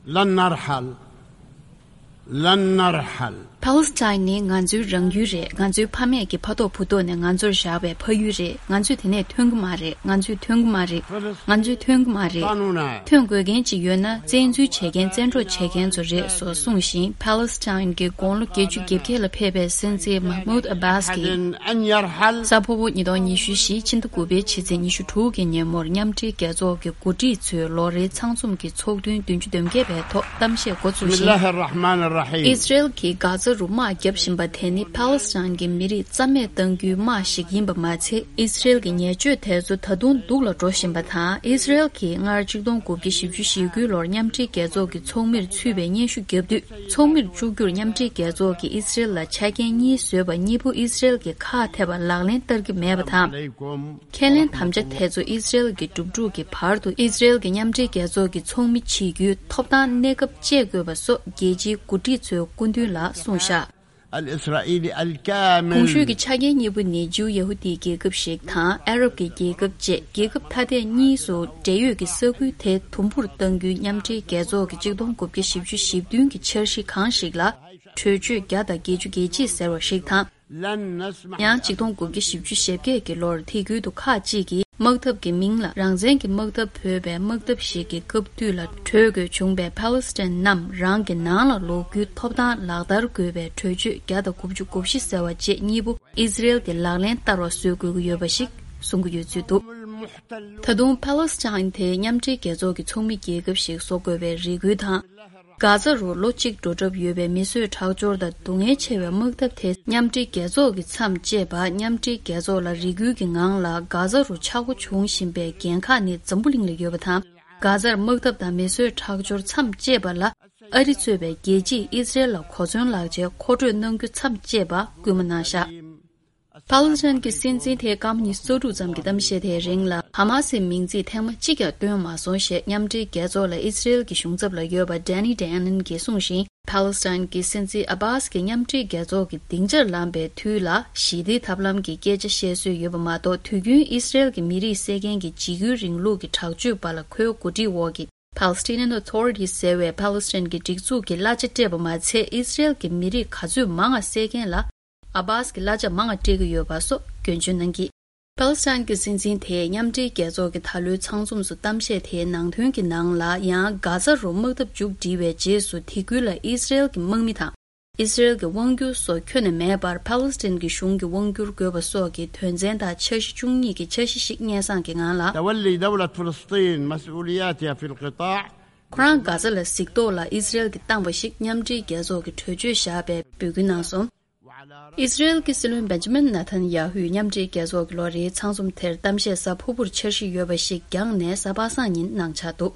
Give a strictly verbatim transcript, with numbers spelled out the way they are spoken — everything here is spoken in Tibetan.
لن نرحل. لن نرحل. Palestine ནི་ང་ཚོའི་རང་ཡུལ་རེད། ང་ཚོའི་ཕ་མེས་ཀྱི་ཕ་ཐོག་བུ་ཐོག་ནས་ང་ཚོར་བཞག་པའི་ཕ་ཡུལ་རེད། ང་ཚོས་དེ་ནས་ཐོན་གྱི་མ་རེད། ང་ཚོས་ཐོན་གྱི་མ་རེད། ང་ཚོས་ཐོན་གྱི་མ་རེད། ཐོན་དགོས་མཁན་ཅིག་ཡོད་ན་བཙན་འཛུལ་བྱེད་མཁན་བཙན་འཕྲོག་བྱེད་མཁན་ཚོ་རེད་སོགས་གསུངས་ཤིང་། Palestine གྱི་དགུང་ལོ་བརྒྱད་ཅུ་གྱ་བརྒྱད་ལ་ཕེབས་པའི་སྲིད་འཛིན་Mahmoud Abbas གྱིས་གཟའ་ཕུར་བུ་ཉིས་སྟོང་ཉི་ཤུ་བཞི་ཕྱི་ཟླ་དགུ་པའི་ཕྱི་ཚེས་ཉི་ཤུ་དྲུག་གི་ཉིན་མོར་མཉམ་འབྲེལ་རྒྱལ་ཚོགས་ཀྱི་འགོ་ཁྲིད་ཚོའི་ལོ་རེའི་ཚང་འཛོམས་ཀྱི་ཚོགས་ཐུན་བདུན་ཅུ་དོན་བརྒྱད་པའི་ཐོག་གཏམ་བཤད་འགོ་བཙུགས་ཤིང་། ཨི་སི་རེལ་གྱིས་གྷ་ཛ་རུ་དམག་བརྒྱབ་བཞིན་པ་དེ་ནི་Palestine གྱི་མི་རིགས་རྩ་མེད་གཏང་རྒྱུའི་དམག་ཞིག་ཡིན་པ་མ་ཚད། ཨི་སི་རེལ་གྱི་ཉེས་སྤྱོད་དེ་ཚོ་ད་དུང་སྡུག་ལ་འགྲོ་བཞིན་པ་དང་། ཨི་སི་རེལ་གྱིས་སྔར་ཆིག་སྟོང་དགུ་བརྒྱ་བཞི་བཅུ་ཞེ་དགུའི་ལོར་མཉམ་འབྲེལ་རྒྱལ་ཚོགས་ཀྱི་ཚོགས་མིར་ཚུད་པའི་སྙན་ཞུ་བརྒྱབ་དུས། ཚོགས་མིར་བཅུག་རྒྱུར་མཉམ་འབྲེལ་རྒྱལ་ཚོགས་ཀྱིས་ཨི་སི་རེལ་ལ་ཆ་རྐྱེན་གཉིས་བཟོས་པ་གཉིས་པོ་ཨི་སི་རེལ་གྱིས་ཁག་ཐེག་པ་ལག་ལེན་བསྟར་གྱི་མེད་པ་དང་། ཁས་ལེན་དམ་བཅའ་དེ་ཚོ་ཨི་སི་རེལ་གྱི་གྲུབ་གྲུབ་ཀྱི་བར་དུ་ཨི་སི་རེལ་གྱི་མཉམ་འབྲེལ་རྒྱལ་ཚོགས་ཀྱི་ཚོགས་མི་བྱེད་རྒྱུའི་ཐོབ་ཐང་གནས་སྐབས་བཅད་དགོས་པ་སོགས་རྒྱལ་སྤྱིའི་འགོ་ཁྲིད་ཚོའི་སྐུ་མདུན་ལ་གསུངས་བཞག། الإسرائيلي الكامل. གོང་ཞུས་ཀྱི་ཆ་རྐྱེན་གཉིས་པོ་ནི་ཇིའུ་ཡ་ཧུ་དིའི་རྒྱལ་ཁབ་ཞིག་དང་ཨ་རབ་ཀྱི་རྒྱལ་ཁབ་བཅས་རྒྱལ་ཁབ་ཐ་དད་གཉིས་སུ་འབྲེལ་ཡོད་ཀྱི་ས་ཁུལ་དེ་དུམ་བུར་གཏང་རྒྱུའི་མཉམ་འབྲེལ་རྒྱལ་ཚོགས་ཀྱི་ཆིག་སྟོང་དགུ་བརྒྱ་བཞི་བཅུ་ཞེ་བདུན་གྱི་འཆར་གཞི་གང་ཞིག་ལ་གྲོས་ཆོད་བརྒྱ་དང་བརྒྱད་ཅུ་གྱ་གཅིག་ཟེར་བ་ཞིག་དང་། ཡང་ཆིག་སྟོང་དགུ་བརྒྱ་བཞི་བཅུ་ཞེ་བརྒྱད་ཀྱི་ལོར་ཐད་ཀར་དུ་ཁག་ཅིག་གིས་དམག་འཐབ་ཀྱི་མིང་ལ་རང་བཙན་གྱི་དམག་འཐབ་འབོད་པའི་དམག་འཐབ་ཞིག་གི་སྐབས་དུས་ལ་གྲོལ་དགོས་བྱུང་བའི་Palestine རྣམས་རང་གི་ནང་ལ་ལོག་རྒྱུའི་ཐོབ་ཐང་ལག་བསྟར་དགོས་པའི་གྲོས་ཆོད་བརྒྱ་དང་དགུ་བཅུ་གོ་བཞི་ཟེར་བ་བཅས་གཉིས་པོ་ཨི་སི་རེལ་གྱིས་ལག་ལེན་བསྟར་བ་བཟོ་དགོས་ཀྱི་ཡོད་པ་ཞིག་གསུང་གི་ཡོད་ཚུལ་འདུག། ད་དུང་Palestine དེ་མཉམ་འབྲེལ་རྒྱལ་ཚོགས་ཀྱི་ཚོགས་མི་རྒྱལ་ཁབ་ཞིག་བཟོ་དགོས་པའི་རེ་སྐུལ་དང་། གྷ་ཛ་རུ་ལོ་གཅིག་འགྲོ་གྲབས་ཡོད་པའི་མི་གསོད་ཁྲག་སྦྱོར་དང་སྡུག་བསྔལ་ཆེ་བའི་དམག་འཐབ་དེ་མཉམ་འབྲེལ་རྒྱལ་ཚོགས་ཀྱིས་མཚམས་བཅད་པ། མཉམ་འབྲེལ་རྒྱལ་ཚོགས་ལ་རེ་སྐུལ་གྱི་ངང་ལ་གྷ་ཛ་རུ་ཆག་སྒོ་བྱུང་བཞིན་པའི་འགན་ཁག་ནི་འཛམ་བུ་གླིང་ལ་ཡོད་པ་དང་། གྷ་ཛར་དམག་འཐབ་དང་མི་གསོད་ཁྲག་སྦྱོར་མཚམས་བཅད་པ་ལ་ཨ་རི་གཙོས་པའི་རྒྱལ་སྤྱིས་ཨི་སི་རེལ་ལ་གོ་མཚོན་ལག་ཆའི་མཁོ་སྤྲོད་གནང་རྒྱུ་མཚམས་བཅད་པ་སྐུལ་མ་གནང་བཞག། Palestine གྱི་སྲིད་འཛིན་དེས་སྐར་མ་ཉི་ཤུ་རྩ་དྲུག་ཙམ་གྱི་གཏམ་བཤད་དེའི་རིང་ལ་ཧ་མ་སིའི་མིང་ཚིག་ཐེངས་མ་གཅིག་ཀྱང་བཏོན་མ་སོང་ཞེས་མཉམ་འབྲེལ་རྒྱལ་ཚོགས་ལ་ཨི་སི་རེལ་གྱི་གཞུང་ཚབ་ལ་ཡོད་པ་Danny Danon གྱིས་གསུངས་ཤིང་། Palestine གྱི་སྲིད་འཛིན་ཨ་བྷཱས་ཀྱིས་མཉམ་འབྲེལ་རྒྱལ་ཚོགས་ཀྱི་སྡིངས་ཆར་ལངས་པའི་དུས་ལ་ཞི་བདེའི་ཐབས་ལམ་གྱི་སྐད་ཆ་བཤད་སྲོལ་ཡོད་པ་མ་གཏོགས། དུས་རྒྱུན་ཨི་སི་རེལ་གྱི་མི་རིགས་བསད་མཁན་གྱི་འཇིགས་སྐུལ་རིང་ལུགས་ཀྱི་དྲག་སྤྱོད་པ་ལ་ཁོའི་འགོ་ཁྲིད་འོག་གི་Palestinian Authority ཟེར་བའི་Palestine གྱི་སྒྲིག་འཛུགས་ཀྱིས་གླ་ཆ་སྤྲད་པ་མ་ཚད། ཨི་སི་རེལ་གྱི་མི་རིགས་ག་ཚོད་མང་ང་བསད་མཁན་ལ་ཨ་བྷཱས་ཀྱིས་གླ་ཆ་མང་ང་སྤྲད་ཀྱི་ཡོད་པ་སོགས་སྐྱོན་བརྗོད་གནང་གིས། Palestine གྱི་སྲིད་འཛིན་དེས་མཉམ་འབྲེལ་རྒྱལ་ཚོགས་ཀྱི་ད་ལོའི་ཚང་འཛོམས་སུ་གཏམ་བཤད་དེའི་ནང་དོན་གྱི་ནང་ལ། ཡང་གྷ་ཛ་རུ་དམག་འཐབ་མཇུག་སྒྲིལ་བའི་རྗེས་སུ་ཐི་ཁུལ་ལ་ཨི་སི་རེལ་གྱི་དམག་མི་དང་། ཨི་སི་རེལ་གྱི་དབང་སྒྱུར་སོགས་ཁྱོན་ནས་མེད་པར་Palestine གྱི་གཞུང་གི་དབང་སྒྱུར་དགོས་པ་སོགས་ཀྱི་དོན་ཚན་དང་འཆར་གཞི་བཅུ་གཉིས་ཀྱི་འཆར་གཞི་ཞིག་སྙན་སེང་གི་ངང་ལ། تولي دولة فلسطين مسؤولياتها في القطاع. ཁོ་རང་གྷ་ཛ་ལ་གཟིགས་རྟོག་ལ་ཨི་སི་རེལ་གྱིས་བཏང་བ་ཞིག་མཉམ་འབྲེལ་རྒྱལ་ཚོགས་ཀྱི་གྲོས་ཆོད་བཞག་པའི་འབོད་སྐུལ་གནང་སོང་། ཨི་སི་རེལ་གྱི་སྲིད་བློན་Benjamin Netanyahu མཉམ་འབྲེལ་རྒྱལ་ཚོགས་ཀྱི་ལོ་རེའི་ཚང་འཛོམས་དེར་གཏམ་བཤད་གཟའ་ཕུར་བུར་འཆར་གཞི་ཡོད་པ་ཞིག་བསྐྱངས་ནས་གཟའ་པ་སངས་ཉིན་གནང་འཆར་འདུག།